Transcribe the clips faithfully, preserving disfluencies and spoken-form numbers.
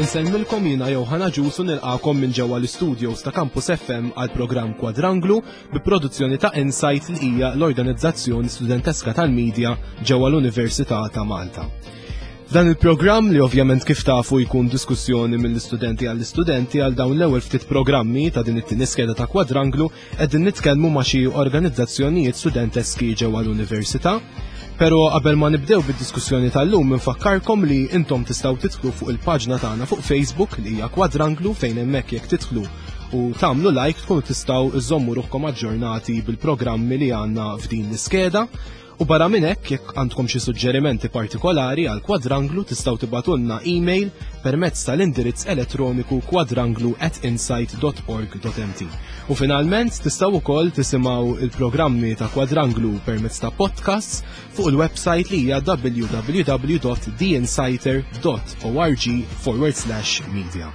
Insellmilkom jiena Johanna Ġusu nilqakom minn ġewwa l-istudios ta' Campus F M għal programm Kwadranglu bi produzzjoni ta' Insight, li hija l-organizzazzjoni studenteska tal-medja ġewwa l-Università ta' Malta. Dan il-programm, li ovvjament kif tafu jkun diskussjoni mill-istudenti għall-istudenti, għal dawn l-ewwel ftit programmi ta' din it-tieni skeda ta' Kwadranglu qegħdin nitkellmu ma' xi organizzazzjonijiet studenteski ġewwa l-università. Pero qabel ma nibdew bid-diskussjoni tal-lum, nfakkarkom li intom tistgħu tidħlu fuq il-paġna tagħna fuq Facebook, li hija Kwadranglu, fejn hemmhekk jekk tidħlu u tagħmlu like tkunu tistgħu iżommu ruħkom aġġornati bil-programmi li għandna f'din l-iskeda. U barra minn hekk, jekk għandkom xi suġġerimenti partikolari għal Kwadranglu, tistgħu tibagħtulna email permezz tal-indirizz elettroniku kwadranglu at insight dot org dot M T. U finalment tistgħu wkoll tisimgħu il-programmi ta' Kwadranglu permezz ta' podcasts fuq il-website li hija w w w dot theinsighter dot org forward slash media.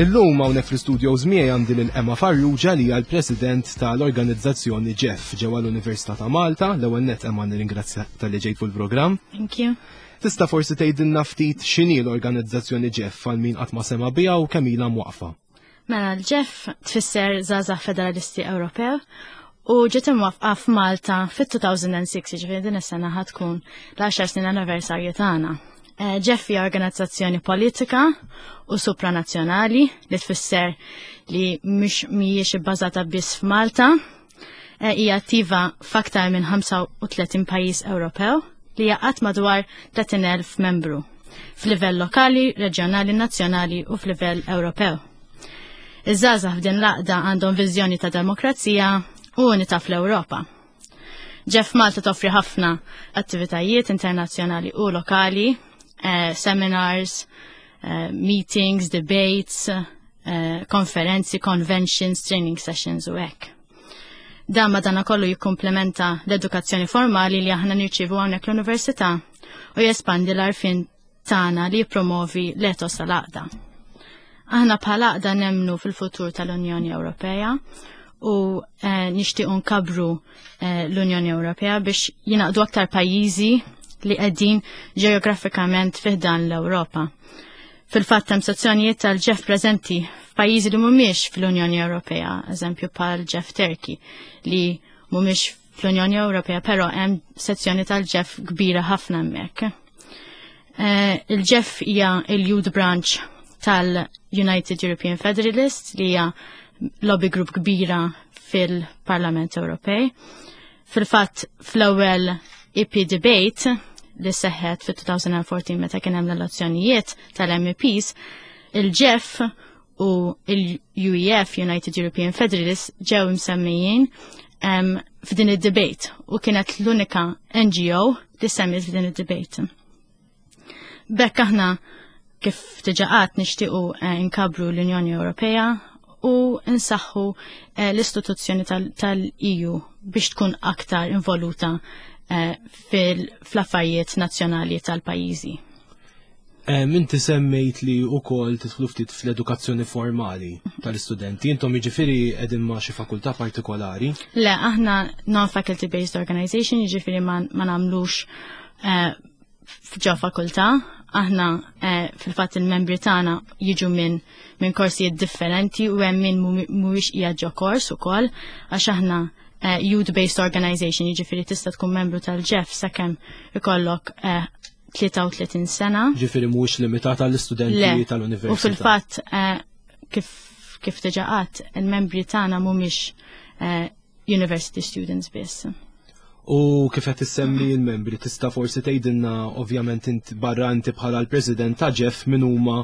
Illum hawnhekk fl-studios miegħi għandi lil Emma Farrugia, li hija l-President tal-organizzazzjoni JEF ġewwa l-Università ta' Malta. L-ewwel net, Emma, nirringrazzja talli ġejt fuq il-programm. Thank you. Tista' forsi tgħidilna ftit x'inhi l-organizzazzjoni JEF għal min qatt ma sema biha u kemm ilha mwaqfa? Mela, l-JEF tfisser Żgħażagħ Federalisti Ewropew u ġiet imwaqqfa f'Malta fit-elfejn u sitta, ġifieri din is-sena ħa tkun l-għaxar snin anniversarju tagħna. Eh, JEF hija organizzazzjoni politika u supranazzjonali, li tfisser li mhux mhijiex ibbażata biss f'Malta. Eh, Hija attiva f'aktar minn ħamsa u tletin pajjiż Ewropew li jgħaqqad madwar tletin elf membru f'livell lokali, reġjonali, nazzjonali u f'livell Ewropew. Iż-żgħażagħ f'din l-għaqda għandhom viżjoni ta' demokrazija u unità fl-Ewropa. JEF Malta toffri ħafna attivitajiet internazzjonali u lokali, eh, seminars, eh, meetings, debates, eh, konferenzi, conventions, training sessions u hekk. Dan madana kollu jikkumplementa l-edukazzjoni formali li aħna nirċivu hawnhekk l-università u jespandi l-għarfien tagħna li jippromovi l-etos tal-għaqda. Aħna bħala għaqda nemmnu fil-futur tal-Unjoni Ewropea u eh, nixtiequ nkabbru eh, l-Unjoni Ewropea biex jingħaqdu aktar pajjiżi li qegħdin ġeografikament fi ħdan l-Ewropa. Fil-fatt hemm sezzjonijiet tal-JEF preżenti f'pajjiżi li mhumiex fl-Unjoni Ewropea, eżempju bħal JEF Turkey, li mhumiex fl-Unjoni Ewropea, però hemm sezzjoni tal-JEF kbira ħafna hemmhekk. Eh, Il-JEF hija il-Youth Branch tal-United European Federalists, li hija lobby group kbira fil-Parlament Ewropej. Fil-fatt, fl-ewwel E P debate li seħħet fit-elfejn u erbatax meta kien hemm l-elezzjonijiet tal-M E Ps, il-JEF u il-U E F, United European Federalists, ġew msemmijin um, f'din id-debate u kienet l-unika N G O li semmiet f'din id-debate. B'hekk aħna, kif diġà għedt, nixtiequ eh, nkabbru l-Unjoni Ewropea u nsaħħu eh, l-istituzzjoni tal-E U biex tkun aktar involuta eh, fil-affarijiet nazzjonali tal-pajjiżi. Inti semmejt li ukoll tidħlu ftit fl-edukazzjoni formali tal-istudenti. Intom jiġifieri qegħdin ma' xi fakultà partikolari? Le, aħna non-faculty based organization, jiġifieri ma, ma nagħmlux eh, ġo fakultà. Aħna eh, fil-fatt il-membri tagħna jiġu minn minn korsijiet differenti u hemm min mhuwiex qiegħed ġo kors ukoll, għax aħna eh, youth-based organization, jiġifieri tista' tkun membru tal-JEF sakemm ikollok eh, tlieta u tletin sena. Ġifieri mhuwiex limitat għall-istudenti tal-università. U fil-fatt eh, kif kif diġà għedt, il-membri tagħna mhumiex eh, university students biss. U kif qed issemmi l-membri, tista' forsi tgħidilna, ovvjament int barra inti bħala l-President ta' JEF, min huma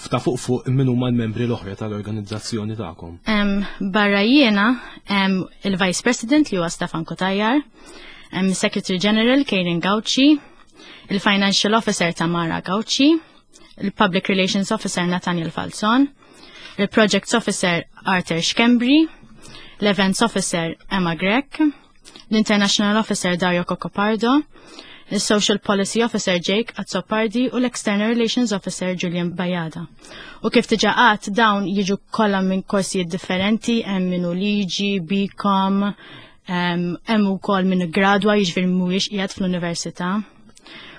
ta' fuq fuq min huma l-membri l-oħra tal-organizzazzjoni tagħkom? Um, barra jiena um, il-Vice President li huwa Stefan Cutajar, um, Secretary General Karen Gauci, il-Financial Officer Tamara Gauci, Il-Public Relations Officer Nathaniel Falzon, il-Projects Officer Arthur Schembri, l-Events Officer Emma Grech, l-International Officer Dario Cocopardo, il-Social Policy Officer Jake Azzopardi u l-External Relations Officer Julian Bajada. U kif diġà għedt, dawn jiġu kollha minn korsijiet differenti, hemm minnu liġi, BCom, hemm ukoll minnu gradwa, jiġifieri mhuwiex qiegħed fl-università.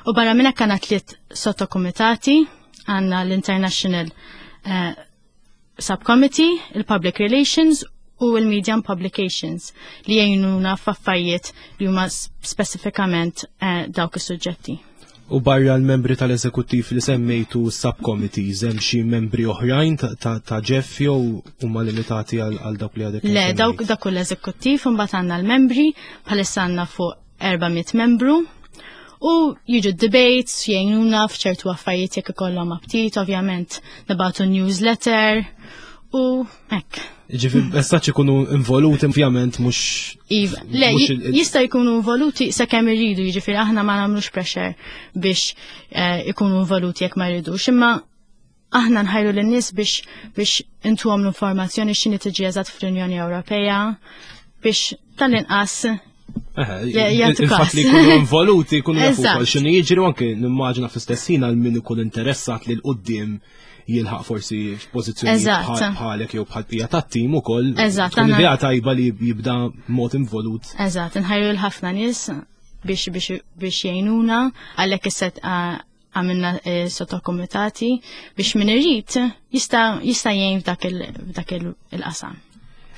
U barra minn hekk għandna tliet sottokumitati, għandna l-International uh, Subcommittee, il-Public Relations u il-Media and Publications li jgħinuna f'affarijiet li huma specifikament eh, dawk is-suġġetti. U barra l-membri tal-eżekuttiv li semmejtu subcommittees, hemm xi membri oħrajn ta' GEF jew huma limitati għal dawk li għadek? Le, dawk dak l-eżekuttiv, imbagħad għandna l-membri, bħalissa għandna fuq erba' mitt membru u jiġu debates, jgħinuna f'ċertu affarijiet jekk ikollhom aptit, ovvjament nibagħtu newsletter u hekk. Ġifieri, essaċ ikunu involuti, ovvjament, mhux. Iva, le, jista' jkunu involuti sakemm irridu, jiġifieri aħna ma nagħmlux pressure biex eh, ikunu involuti jekk ma jridux, imma aħna nħajru lin-nies biex biex intuhom l-informazzjoni x'inhi tiġi eżatt fl-Unjoni Ewropea biex tal-inqas Il-fatt li jkunu involuti, jkunu jafu kol x'inhu jiġri, u anke nimmaġina fl-istess ħin għal min ikun interessat li 'l quddiem jilħaq forsi f'pożizzjoni bħalek jew bħal bqija tat-tim ukoll. Eżatt. Tkun idea tajba li jibda mod involut. Eżatt, nħajru l-ħafna nies biex biex biex jgħinuna, għalhekk issa għamilna eh, sottokomitati biex min irid jista' jista' jgħin f'dak il-qasam.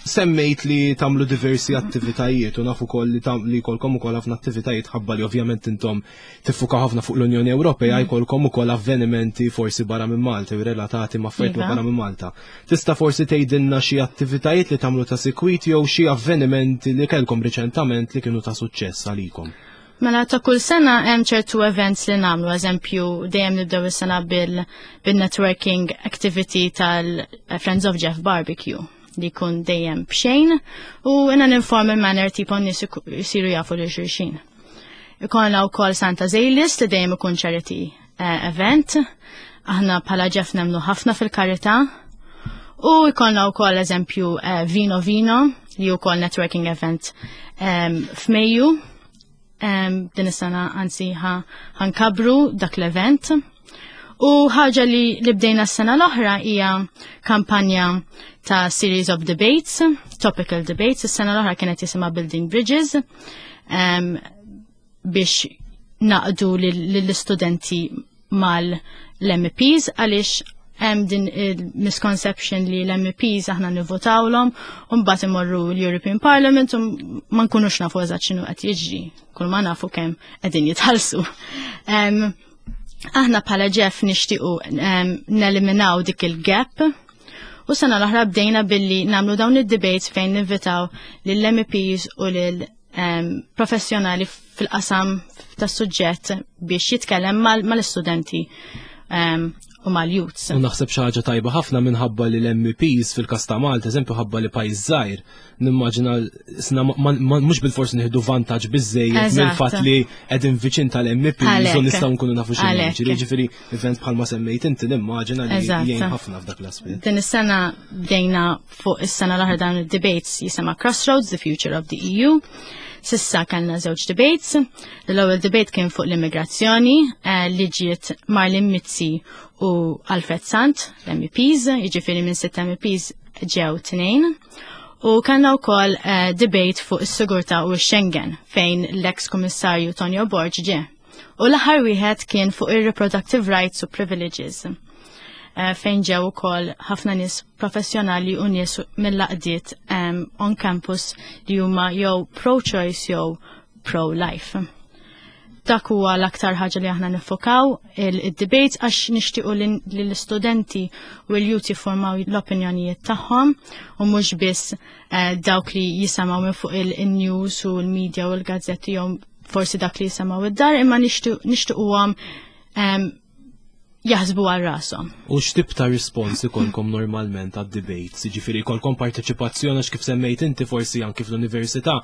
Semmejt li tagħmlu diversi attivitajiet u nafu kol li, li jkollkom ukoll ħafna attivitajiet, ħabba li ovvjament intom tiffuka ħafna fuq l-Unjoni Ewropea, mm. jkollkom ukoll avvenimenti forsi barra minn Malta u relatati ma' affarijiet iva. barra minn Malta. Tista' forsi tgħidilna xi attivitajiet li tagħmlu ta' sikwit jew xi avvenimenti li kellkom riċentament li kienu ta' suċċess għalikom? Mela, ta' kull sena hemm ċertu events li nagħmlu, eżempju dejjem nibdew is-sena bil-networking activity tal-Friends of GEF Barbecue li jkun dejjem b'xejn u in an informal manner tipo nies jisiru jafu lil xulxin. Ikollna wkoll Santa's A-list li dejjem ikun charity eh, event. Aħna bħala GEF nemmnu ħafna fil-karità. U jkollna wkoll, eżempju, eh, Vino Vino li wkoll networking event um, f'Mejju. Um, din is-sena anzi ħa nkabru dak l-event. U ħaġa li, li bdejna s-sena l-oħra hija kampanja ta' series of debates, topical debates. Is-sena l-oħra kienet jisimha Building Bridges um, biex naqdu lill-istudenti mal-M Ps, għaliex hemm din il-misconception li l-M Ps aħna nivvotawlhom u mbagħad imorru l-European Parliament u ma nkunux nafu eżatt x'inhu qed jiġri, kull ma nafu kemm qegħdin jitħallsu. Um, aħna bħala GEF nixtiequ um, neliminaw dik il-gap u sena l-oħra bdejna billi nagħmlu dawn id-debates fejn ninvitaw lill-M Ps u lil um, professjonali fil-qasam tas-suġġett biex jitkellem mal-istudenti um, u mal-youths. U naħseb xi ħaġa tajba ħafna minħabba li l-M Ps fil-kas ta' Malta, eżempju, ħabba li pajjiż żgħir, nimmaġina sna mhux bilfors nieħdu vantaġġ biżejjed mill-fatt li qegħdin viċin tal-M Ps u nistgħu nkunu nafu x'inhu jiġri. Ġifieri event bħalma semmejt inti nimmaġina li jgħin ħafna f'dak l-aspett. Din is-sena bdejna fuq is-sena l-oħra dawn id-debates jisimha Crossroads, the Future of the E U. S'issa kellna żewġ debates. L-ewwel debate kien fuq l-immigrazzjoni eh, li ġiet Marlene Mizzi u Alfred Sant, l-M Ps, jiġifieri minn sitt M Ps ġew tnejn. U kellna wkoll uh, debate fuq is-sigurtà u x-Schengen fejn l-ex kummissarju Tonio Borg ġie. U l-aħħar wieħed kien fuq ir-reproductive rights u privileges, Uh, fejn ġew ukoll ħafna nies professjonali u nies mill-għaqdiet um, on campus li huma jew pro-choice jew pro-life. Dak huwa l-aktar ħaġa li aħna nifokaw il-debate, għax nixtiequ li l-istudenti u l-youth jiffurmaw l-opinjonijiet tagħhom u mhux biss eh, dawk li jisimgħu minn fuq il-news u l-media u l-gazzetti jew forsi dak li jisimgħu id-dar, imma nixtiequhom jaħsbu għal rashom. U x'tip ta' rispons ikolkom normalment għad debates? Ġifieri jkollkom parteċipazzjoni, għax kif semmejt inti forsi anki fl-università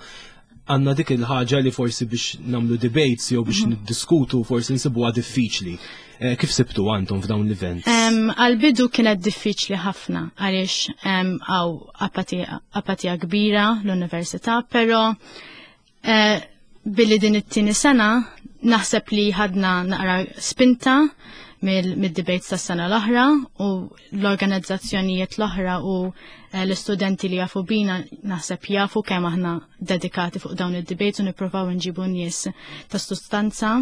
Għandna dik il-ħaġa li forsi biex nagħmlu debates jew biex mhm. niddiskutu forsi nsibuha diffiċli. Eh, kif sibtu għandhom f'dawn l-events? Għal-bidu kienet diffiċli ħafna għaliex hawn apatija kbira l-università, però eh, billi din it-tieni sena naħseb li ħadna naqra spinta mill-debates tas sena l-oħra u l-organizzazzjonijiet l-oħra u eh, l-istudenti li jafu bina naħseb jafu kemm aħna dedikati fuq dawn id-debates u nippruvaw nġibu nies ta' sustanza.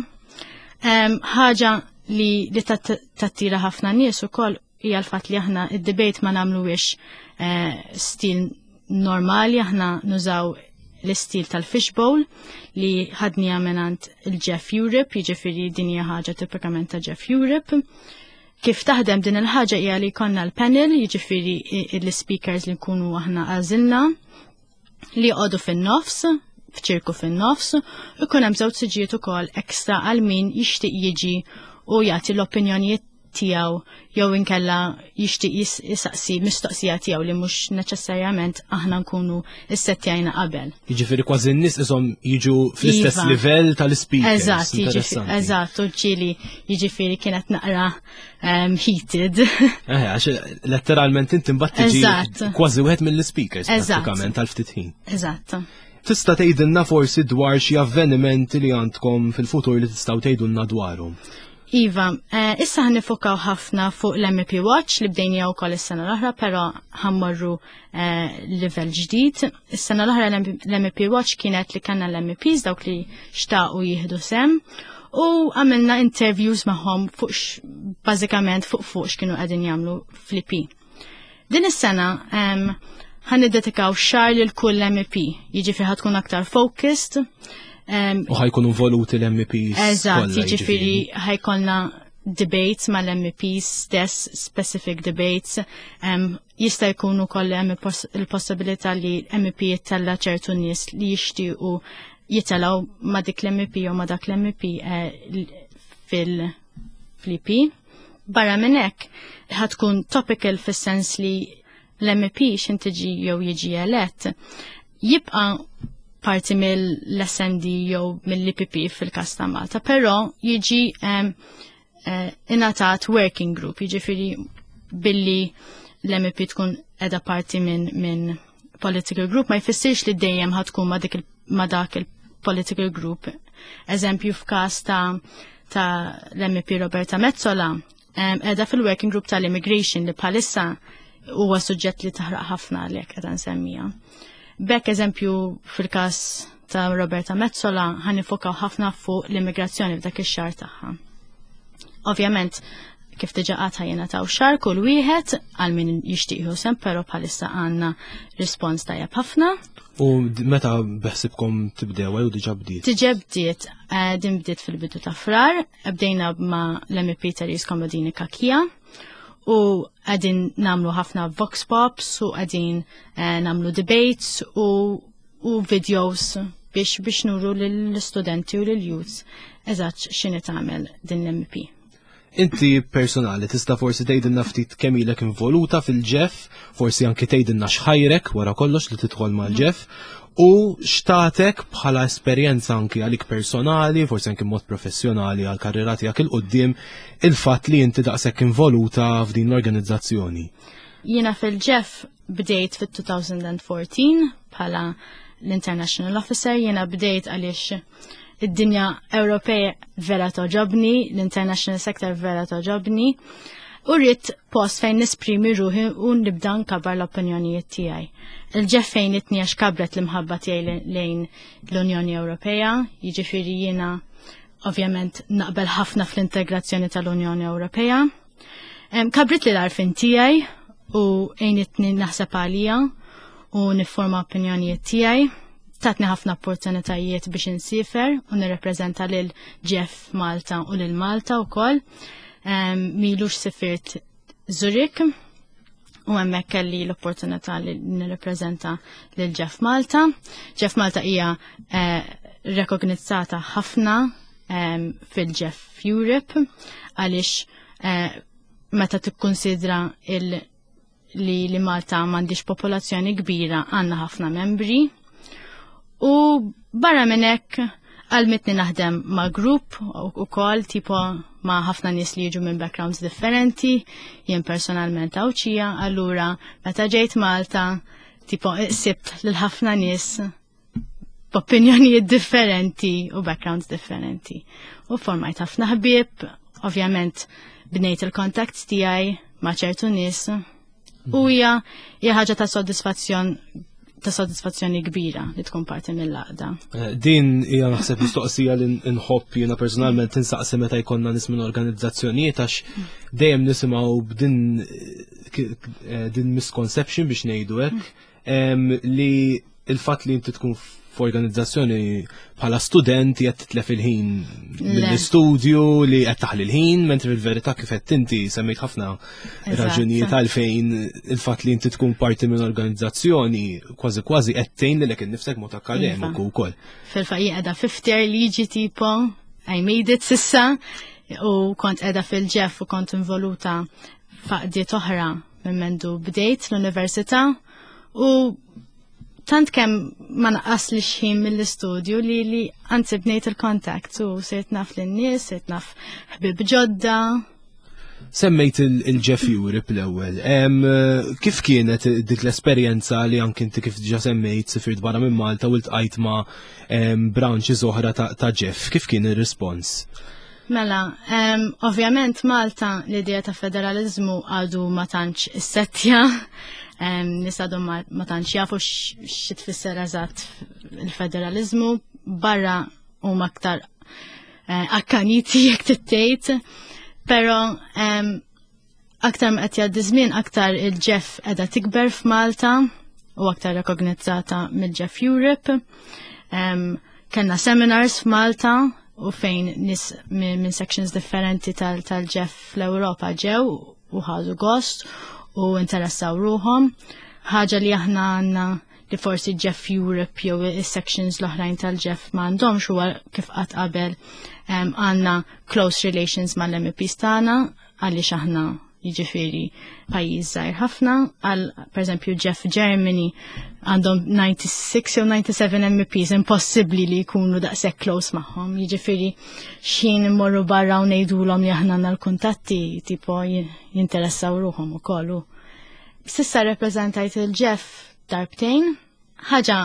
Ħaġa li li tattira ħafna nies ukoll hija l-fatt li aħna id-debate ma nagħmluwiex eh, stil normali, aħna nużaw l-istil tal-fishbowl li ħadniha mingħand il-JEF Europe, jiġifieri din hija ħaġa tipikament ta' JEF Europe. Kif taħdem din il-ħaġa hija li jkollna l-panel, jiġifieri l-speakers li nkunu aħna għażilna li jqogħdu fin-nofs, f'ċirku fin-nofs, u jkun hemm żewġ siġijiet ukoll ekstra għal min jixtieq jiġi u jagħti l-opinjonijiet tiegħu jew inkella jixtieq jisaqsi mistoqsija tiegħu li mhux neċessarjament aħna nkunu issettjajna qabel. Jiġifieri kważi n-nies ishom jiġu fl-istess iva. livell tal-speakers. Eżatt, eżatt, u ġieli jiġifieri kienet naqra um, heated. Eh, għax letteralment inti mbagħad tiġi kważi wieħed mill-speakers prattikament tal-ftit ħin. Eżatt. Tista' tgħidilna forsi dwar xi avvenimenti li għandkom fil-futur li tistgħu tgħidulna dwarhom? Iva, eh, issa ħa niffukaw ħafna fuq l-M E P Watch li bdejna wkoll is-sena l-oħra, però ħa mmorru eh, level ġdid. Is-sena l-oħra l-M E P Watch kienet li kellna l-M E Ps dawk li xtaqu jieħdu sehem u għamilna interviews magħhom fuq bażikament fuq fuq x'kienu qegħdin jagħmlu fl-E P. Din is-sena ħa niddedikaw xahar lil kull M E P, jiġifieri ħa tkun aktar focused. U ħa jkunu involuti l-M E Ps. Eżatt, jiġifieri ħa jkollna debates mal-M E Ps stess, specific debates. Um, jista' jkunu koll hemm il-possibilità li M E P jittella ċertu nies li jixtiequ jitilgħu ma' dik l-M E P jew ma' dak l-M E P eh, fil-E P. Barra minn hekk, ħa tkun topical fis-sens li l-M E P x'ħin tiġi jew jiġi elett jibqa' parti mill-S and D jew mill-E P P fil-kas ta' Malta, però jiġi um, uh, ingħatat working group, jiġifieri billi l-M E P tkun edha parti minn min political group ma jfissirx li dejjem ħa tkun ma, dik ma dak il-political group. Eżempju, f'każ ta' ta' l-M E P Roberta Metsola, um, edha fil-working group tal-immigration li bħalissa huwa suġġett li taħraq ħafna li qed nsemmija. B'hekk, eżempju, fil-każ ta' Roberta Metsola ħa niffukaw ħafna fuq l-immigrazzjoni f'dak ix-xahar tagħha. Ovvjament, kif diġà għedna, jingħataw xahar kull wieħed għal min jixtieq sehem, però bħalissa għandna rispons tajjeb ħafna. U meta beħsibkom tibdew jew diġà bdiet? Diġà bdiet, eh, din bdiet fil-bidu ta' Frar, bdejna ma' l-M E P Therese Comodini Cachia u qegħdin nagħmlu ħafna vox pops u qegħdin eh, nagħmlu debates u, u videos biex biex nuru lill-studenti u lill-youths eżatt x'inhi tagħmel din l-M E P. Inti personali tista' forsi tgħidilna ftit kemm ilek involuta fil-JEF, forsi anki tgħidilna x'ħajrek wara kollox li tidħol mal-JEF u x'tatek bħala esperjenza anki għalik personali, forsi anki mod professjonali għal karriera tiegħek 'il quddiem il-fatt li inti daqshekk involuta f'din l-organizzazzjoni. Jiena fil-JEF bdejt fit-elfejn u erbatax bħala l-International Officer, jiena bdejt għaliex id-dinja Ewropea vera togħġobni, l-international sector vera togħġobni, u rrid post fejn nesprimi ruħi u nibda nkabbar l-opinjonijiet tiegħi. Il-JEF għenitni għax kabret l-imħabba tiegħi lejn l-Unjoni Ewropea, jiġifieri jiena ovvjament naqbel ħafna fl-integrazzjoni tal-Unjoni Ewropea. Kabrit li l-għarfien tiegħi u għenitni naħseb għalija u niforma opinjonijiet tiegħi. Tatni ħafna opportunitajiet biex insifer u nirrepreżenta lil JEF Malta u lil Malta wkoll. M'ilux sifirt Zurich u hemmhekk kelli l-opportunità li nirrepreżenta lil JEF Malta. JEF Malta hija eh, rekognizzata ħafna fil-JEF Europe għaliex eh, meta tikkonsidra il- li li Malta m'għandix popolazzjoni kbira, għandna ħafna membri. U barra minn hekk għallmitni naħdem ma' grupp ukoll, tipo ma' ħafna nies li jiġu minn backgrounds differenti, jien personalment Għawdxija, allura meta ġejt Malta, tipo sibt lil ħafna nies b'opinjonijiet differenti u backgrounds differenti. U formajt ħafna ħbieb, ovvjament bnejt il-contacts tiegħi ma' ċertu nies. U hija hija ħaġa ta' soddisfazzjon ta' soddisfazzjoni kbira li tkun parti mill-għaqda. Eh, din hija naħseb mistoqsija li nħobb jiena personalment tinsaqsi meta jkollna nies minn organizzazzjonijiet, għax dejjem nisimgħu b'din eh, din misconception, biex ngħidu hekk, li il-fatt li inti tkun f'organizzazzjoni bħala student qed titlef il-ħin mill-istudju, li qed taħli l-ħin, mentri fil-verità, kif qed inti semmejt ħafna raġunijiet għalfejn il-fatt li inti tkun parti minn organizzazzjoni kważi kważi qed tgħin lilek innifsek mod akkademiku Iva. wkoll. Fil-fatt jien qiegħda fifth year liġi, tipo I made it s'issa, u kont qiegħda fil-GEF u kont involuta f'għaqdiet oħra minn mendu bdejt l-università u tant kemm ma naqaslix ħin mill-istudju li li anzi bnejt il-kontakt u sirt naf lin-nies, sirt naf ħbib ġodda. Semmejt il-GEF Europe l-ewwel. Kif kienet dik l-esperjenza li anki inti, kif diġà semmejt, sifirt barra minn Malta u ltqajt ma' branches oħra ta' GEF? Kif kien ir-rispons? Mela, ovvjament Malta l-idea ta' federalizmu għadu ma tantx issettja, nies għadu ma tantx jafu xi tfisser eżatt il-federalizmu, barra huma aktar eh, akkaniti, jekk tittejt, pero aktar ma qed jgħaddi żmien, aktar il-GEF qiegħda tikber f'Malta u aktar rekognizzata mill-GEF Europe. Kellna seminars f'Malta u fejn nies minn sections differenti tal-GEF fl-Ewropa ġew u ħadu gost u interessaw ruħhom. Ħaġa li aħna għandna li forsi GEF Europe jew is-sections l-oħrajn tal-GEF m'għandhomx huwa, kif qatt qabel, għandna close relations mal-M Ps tagħna, għaliex aħna jiġifieri pajjiż żgħir ħafna, għal pereżempju GEF Germany għandhom disgħa u disgħin jew disgħa u sebgħin M Ps, impossibbli li jkunu daqshekk close magħhom. Jiġifieri x'ħin immorru barra u ngħidulhom li aħna għandna l-kuntatti, tipo jinteressaw ruħhom ukoll. S'issa rappreżentajt il-GEF darbtejn, ħaġa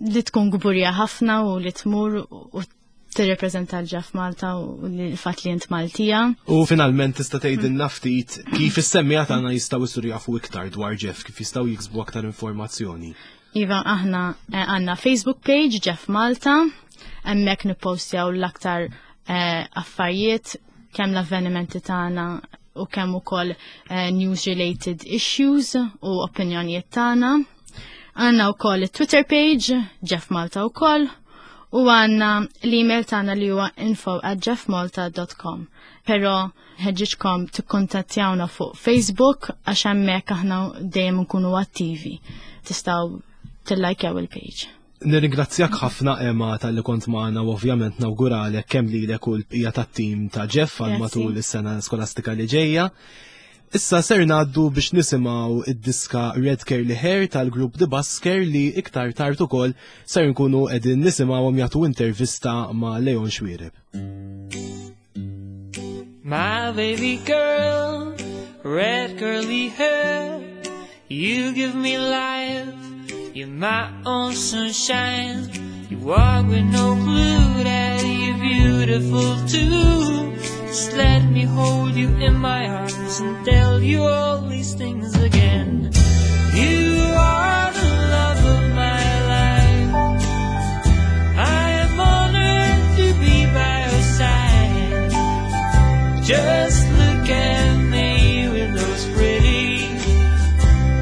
li tkun kburija ħafna u li tmur u tirrepreżenta l-GEF Malta u l-fatt li int Maltija. U finalment tista' tgħidilna ftit kif is-semmiegħa tagħna jistgħu jsiru jafu iktar dwar GEF, kif jistgħu jiksbu aktar informazzjoni? Iva, aħna eh, għandna Facebook page GEF Malta, hemmhekk nippostjaw l-aktar eh, affarijiet, kemm l-avvenimenti tagħna u kemm ukoll eh, news related issues u opinjonijiet tagħna. Għandna wkoll it-Twitter page GEF Malta wkoll u għandna l-email tagħna li huwa info at gefmalta dot com. Però nħeġġiġkom tikkuntattjawna fuq Facebook għax hemmhekk aħna dejjem nkunu attivi. Tistgħu tillajkjaw il-page. Nirringrazzjak ħafna, Emma, talli kont magħna u ovvjament nawguralek kemm lilek u l-bqija tat-tim ta' GEF għal Grazzi. matul is-sena skolastika li ġejja. Issa ser ngħaddu biex nisimgħu id-diska Red Curly Hair tal-grupp The Busker, li iktar tard ukoll ser nkunu qegħdin nisimgħuhom jagħtu intervista ma' Leon Xuereb. My baby girl, red curly hair, you give me life, you're my own sunshine. You walk with no clue that you're beautiful too. Just let me hold you in my arms and tell you all these things again. You are the love of my life. I am honored to be by your side. Just look at me with those pretty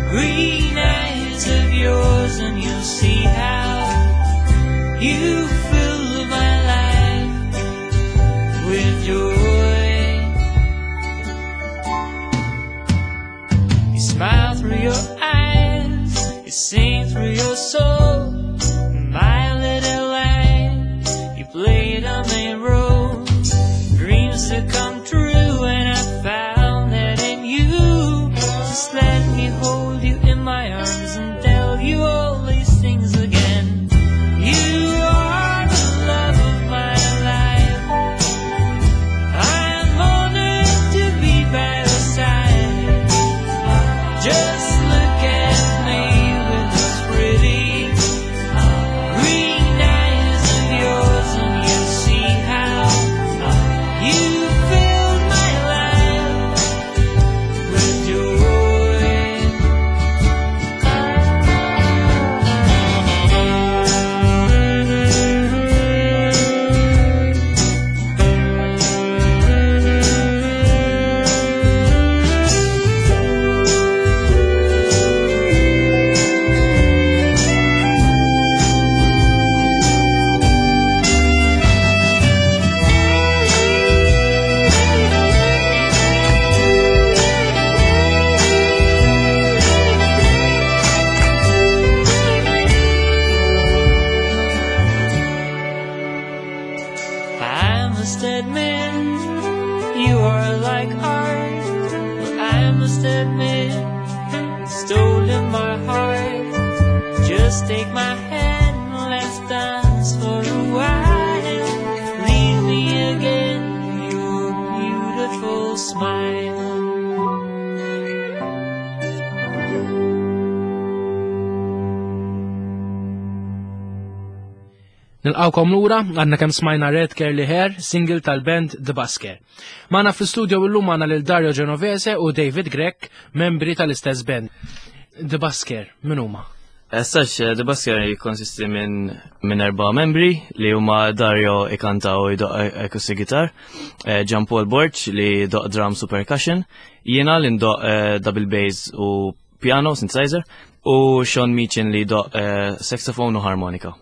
green eyes of yours, and you'll see how you fill my life with joy. You smile through your eyes, you sing through your soul. My little light, you play the main role. Dreams to come true, and I found that in you. Just let me hold you in my arms and tell you all these things again. admit, you've stolen my heart. Just take my hand, let's dance for a while. Leave me again your beautiful smile. Nilqawkom lura, għandna kemm smajna Red Curly Hair, single tal-band The Busker. Magħna fl-istudio illum għandna lil Dario Genovese u David Grech, membri tal-istess band. The Busker, min huma? As such, The Busker jikkonsisti minn min erba' membri li huma Dario ikanta u jdoq acoustic guitar, Jean Paul Borg li jdoq drums u percussion, jiena li ndoq double bass u piano, synthesizer, u Sean Meechin li jdoq saxophone u harmonika.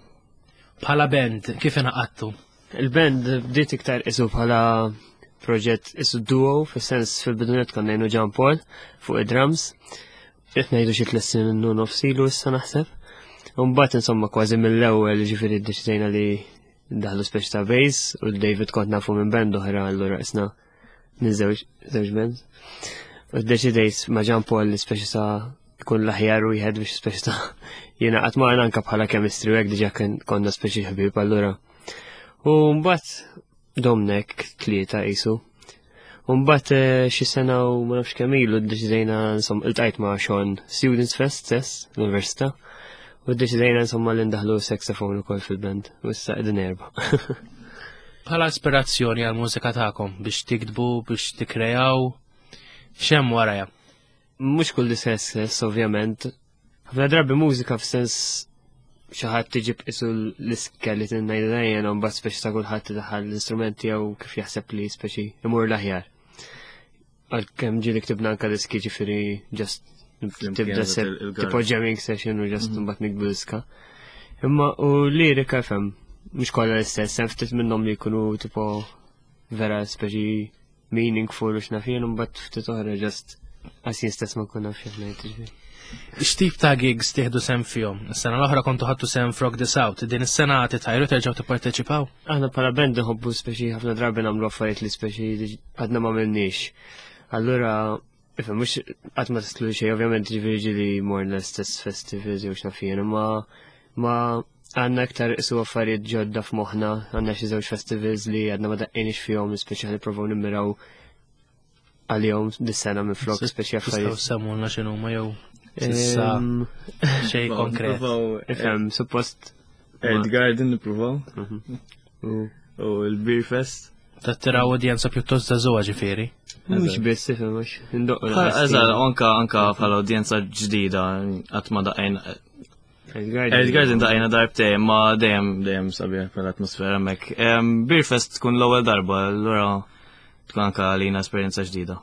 Bħala band, kif inaqattu? Il-band bdiet iktar isu bħala proġett isu duo, fis-sens fil-bidunet konna ngħinu Jean Paul fuq id-drums. Qed ngħidu xi tliet snin u nofs ilu issa naħseb. U mbagħad insomma kważi mill-ewwel ġifieri ddeċidejna li ndaħlu speċi ta' bass u David kont nafu minn band oħra allura isna minn żewġ żewġ bands. U ddeċidejt ma' Jean Paul li speċi ta' jkun l-aħjar wieħed biex speċi ta' jiena qatt ma anke bħala chemistry u hekk diġà konna speċi ħbieb allura. U mbagħad domnek tlieta qisu. U mbagħad xi sena u ma nafx kemm ilu ddeċidejna insomma iltqajt ma' Sean Students Fest stess l-università u ddeċidejna insomma li ndaħlu saxophone ukoll fil-band u issa qegħdin erba'. Bħala ispirazzjoni għall-mużika tagħkom biex tiktbu, biex tikkrejaw, x'hemm warajha? Mhux kull stess, ovvjament. Ħafna drabi mużika f'sens xi ħadd tiġib isu l-iskeleton ngħidu dejjem u mbagħad speċi ta' kulħadd idaħħal l-istrument tiegħu kif jaħseb li speċi imur l-aħjar. Għalkemm ġieli ktibna anke diski ġifieri just tibda seb tipo jamming session u just mbagħad nikbu diska. Imma u lirika fem mhux kollha l-istess, hemm ftit minnhom li jkunu tipo vera speċi meaningful u x'naf jien u mbagħad ftit oħra just għas jien stess ma nkun naf x'qed ngħid ġifieri. X'tip ta' gigs tieħdu sehem fihom? Is-sena l-oħra kontu ħadtu sehem f'Rock the South, din is-sena titħajru terġgħu tipparteċipaw? Aħna bħala band nħobbu speċi ħafna drabi nagħmlu affarijiet li speċi għadna ma għamilniex. Allura, ifhem mhux qatt ma tistlu xejn, ovvjament ġifieri ġieli morna l-istess festivals jew x'naf jien, imma ma għandna iktar isu affarijiet ġodda f'moħħna, għandna xi żewġ festivals li għadna ma daqqejniex fihom, speċi ħa nippruvaw nimmiraw għalihom dis-sena minn flok speċi affarijiet. Tistgħu semmulna x'inhuma jew s'issa xejn konkret. Ifhem, suppost Earth Garden nippruvaw. U l-Beer Fest. Tattiraw udjenza pjuttost żagħżugħa ġifieri. Mhux biss, ifhem, mhux indoqqu. Eżatt, anka anka bħala udjenza ġdida qatt ma daqajna. Earth Garden daqajna darbtejn, ma dejjem dejjem sabiħ bħala atmosfera hemmhekk. Beer Fest tkun l-ewwel darba, allura tkun anka għalina esperjenza ġdida.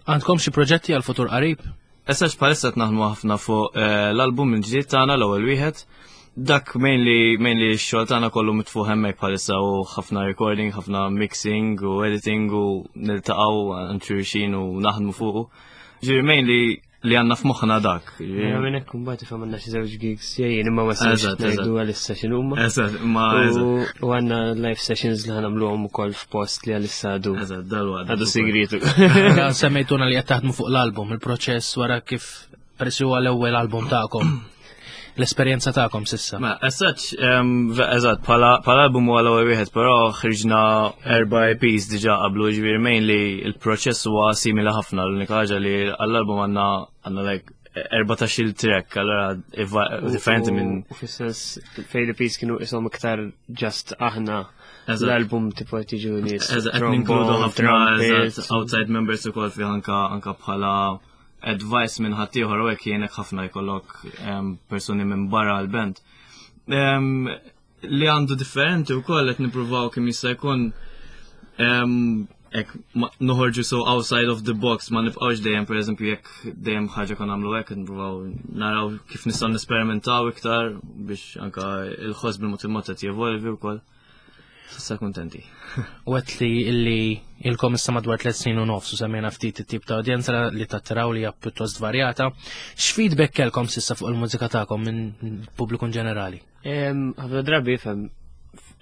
Għandkom xi proġetti għal futur qarib? Issa bħalissa qed naħdmu ħafna fuq l-album il-ġdid tagħna l-ewwel wieħed. Dak mainly mainly x-xogħol tagħna kollu mitfuħ hemmhekk bħalissa u ħafna recording, ħafna mixing u editing u niltaqgħu għand xulxin u naħdmu fuqu. Ġifieri mainly li għandna f'moħħna dak. Jiena minn hekk imbagħad ifhem għandna xi żewġ gigs ġejjin imma ma sewx ngħidu għalissa x'inhuma. Eżatt, imma eżatt. U għandna live sessions li ħanamluhom ukoll f'post li għalissa għadu. Eżatt, dalwaqt. Għadu sigritu. Semmejtuna li qed taħdmu fuq l-album, il-proċess wara kif peress huwa l-ewwel album tagħkom. L-esperjenza tagħkom sissa. Ma, as such, eżatt, bħala album huwa l-ewwel wieħed, però ħriġna erba' E Ps diġà qablu, ġifieri mainly il-proċess huwa simili ħafna, l-unika ħaġa li għall-album għandna għandna like erbatax-il track, allura differenti minn. U fis-sens fejn l-E Ps kienu ishom iktar just aħna l-album tipo qed jiġu nies. Eżatt, qed ninkludu ħafna eżatt outside members ukoll fih anka anka bħala advice minn ħaddieħor u hekk jgħinek ħafna jkollok persuni minn barra l-band. Li għandu differenti wkoll qed nippruvaw kemm jista' jkun hekk noħorġu so outside of the box, ma nibqgħux dejjem pereżempju jekk dejjem ħaġa kon nagħmlu hekk nippruvaw naraw kif nistgħu nesperimentaw iktar biex anka il-ħoss bil-mod il-mod qed jevolvi wkoll. Sissa kuntenti. U għedt li illi ilkom issa madwar tliet snin u nofs u semmejna ftit it-tip ta' udjenza li tattiraw li hija pjuttost varjata. X'feedback kellkom sissa fuq il-mużika tagħkom minn pubbliku ġenerali? Ħafna drabi ifhem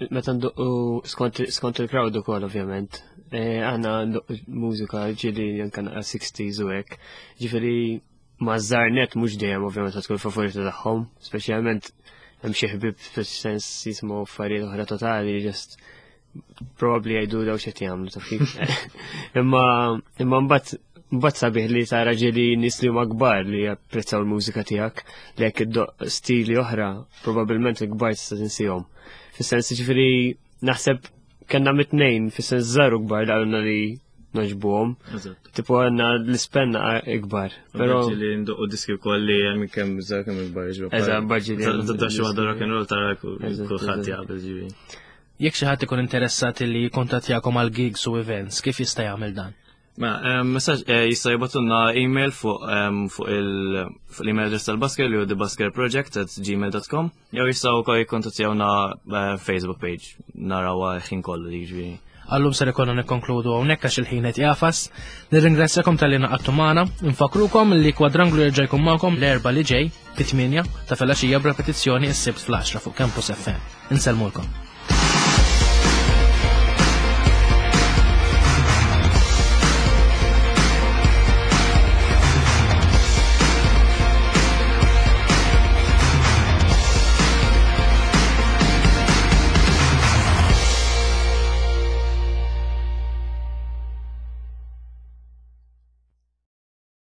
meta nduqqu skont skont il-crowd ukoll ovvjament. Eh, aħna mużika ġieli anke naqra sixties u hekk. Ġifieri maż-żgħar net mhux dejjem ovvjament tkun favorita tagħhom, speċjalment hemm xi ħbieb fis-sens jisimgħu affarijiet oħra totali, just probably jgħidu daw x'qed jagħmlu, taf kif. Imma imma mbagħad mbagħad sabiħ li tara ġieli nies li huma kbar li japprezzaw il-mużika tiegħek, li jekk iddoqq stili oħra, probabbilment il-kbar tista' tinsihom. Fis-sens, ġifieri naħseb kellna mit-tnejn, fis-sens żgħar u kbar li qalulna li nogħġbuhom. Tipo għandna l-ispenna ikbar. Però li ndoqqu diski wkoll li hemm kemm żgħar kemm ikbar ġifieri. Eżatt, ġieli. Tibda xi waħda rock and roll tara kulħadd jaqbel ġifieri. Jekk xi ħadd ikun interessat li jikkontattjakom għal gigs u events, kif jista' jagħmel dan? Ma, messaġġ eh, jista' jibgħatulna email fuq fuq l-email address tal-Busker li hu thebuskerproject at gmail dot com jew jistgħu wkoll jikkontattjawna eh, Facebook page, narawha ħin kollu jiġifieri. Għal-lum ser ikollna nikkonkludu hawnhekk għax il-ħin qed jagħfas. Nirringrazzjakom talli ngħaqadtu magħna, nfakkrukom li Kwadranglu jerġa' jkun magħkom l-Erbgħa li ġej fit-tmienja ta' filgħaxija b'repetizzjoni s-Sibt fl-għaxra fuq Campus F M. Insellmulkom.